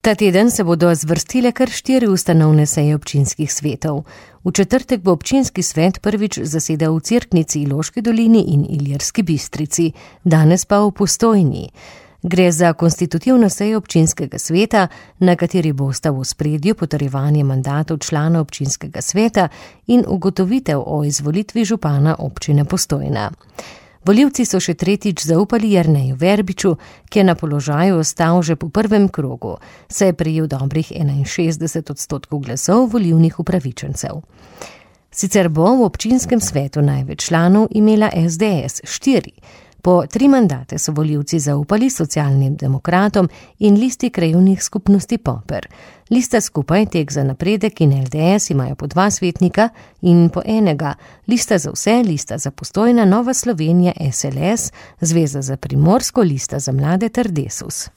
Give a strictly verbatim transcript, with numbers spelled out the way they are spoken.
Ta teden se bodo zvrstile kar štiri ustanovne seje občinskih svetov. V četrtek bo občinski svet prvič zasedal v Cerknici, Loški dolini in Ilirski Bistrici, danes pa v Postojni. Gre za konstitutivno sejo občinskega sveta, na kateri bosta v ospredju potrjevanje mandatov članov občinskega sveta in ugotovitev o izvolitvi župana občine Postojna. Volivci so še tretjič zaupali Jerneju Verbiču, ki je na položaju ostal že po prvem krogu, saj je prejel dobrih enainšestdeset odstotkov glasov volilnih upravičencev. Sicer bo v občinskem svetu največ članov imela es de es, štiri. Po tri mandate so volivci zaupali Socialnim demokratom in Listi krajevnih skupnosti Poper. Lista skupaj Tek za napredek in el de es imajo po dva svetnika in po enega. Lista za vse, Lista za Postojna, Nova Slovenija, es el es, Zveza za Primorsko, Lista za mlade ter Desus.